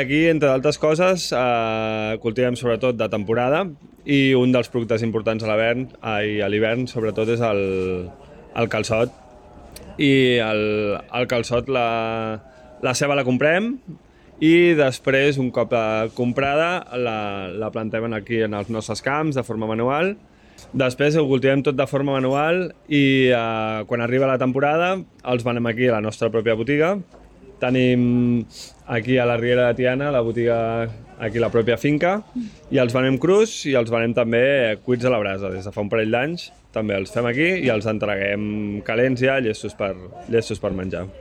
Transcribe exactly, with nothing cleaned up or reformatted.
Aquí, entre d'altres coses, eh, cultivem sobretot de temporada i un dels productes importants a l'hivern, a l'hivern sobretot és el, el calçot. I el, el calçot, la, la ceba la comprem i després, un cop comprada, la, la plantem aquí en els nostres camps de forma manual. Després ho cultivem tot de forma manual i eh, quan arriba la temporada els venem aquí a la nostra pròpia botiga. Tenim aquí a la Riera de Tiana, la botiga, aquí a la pròpia finca, i els venem crus i els venem també cuits a la brasa. Des de fa un parell d'anys també els fem aquí i els entreguem calents ja, llestos per, llestos per menjar.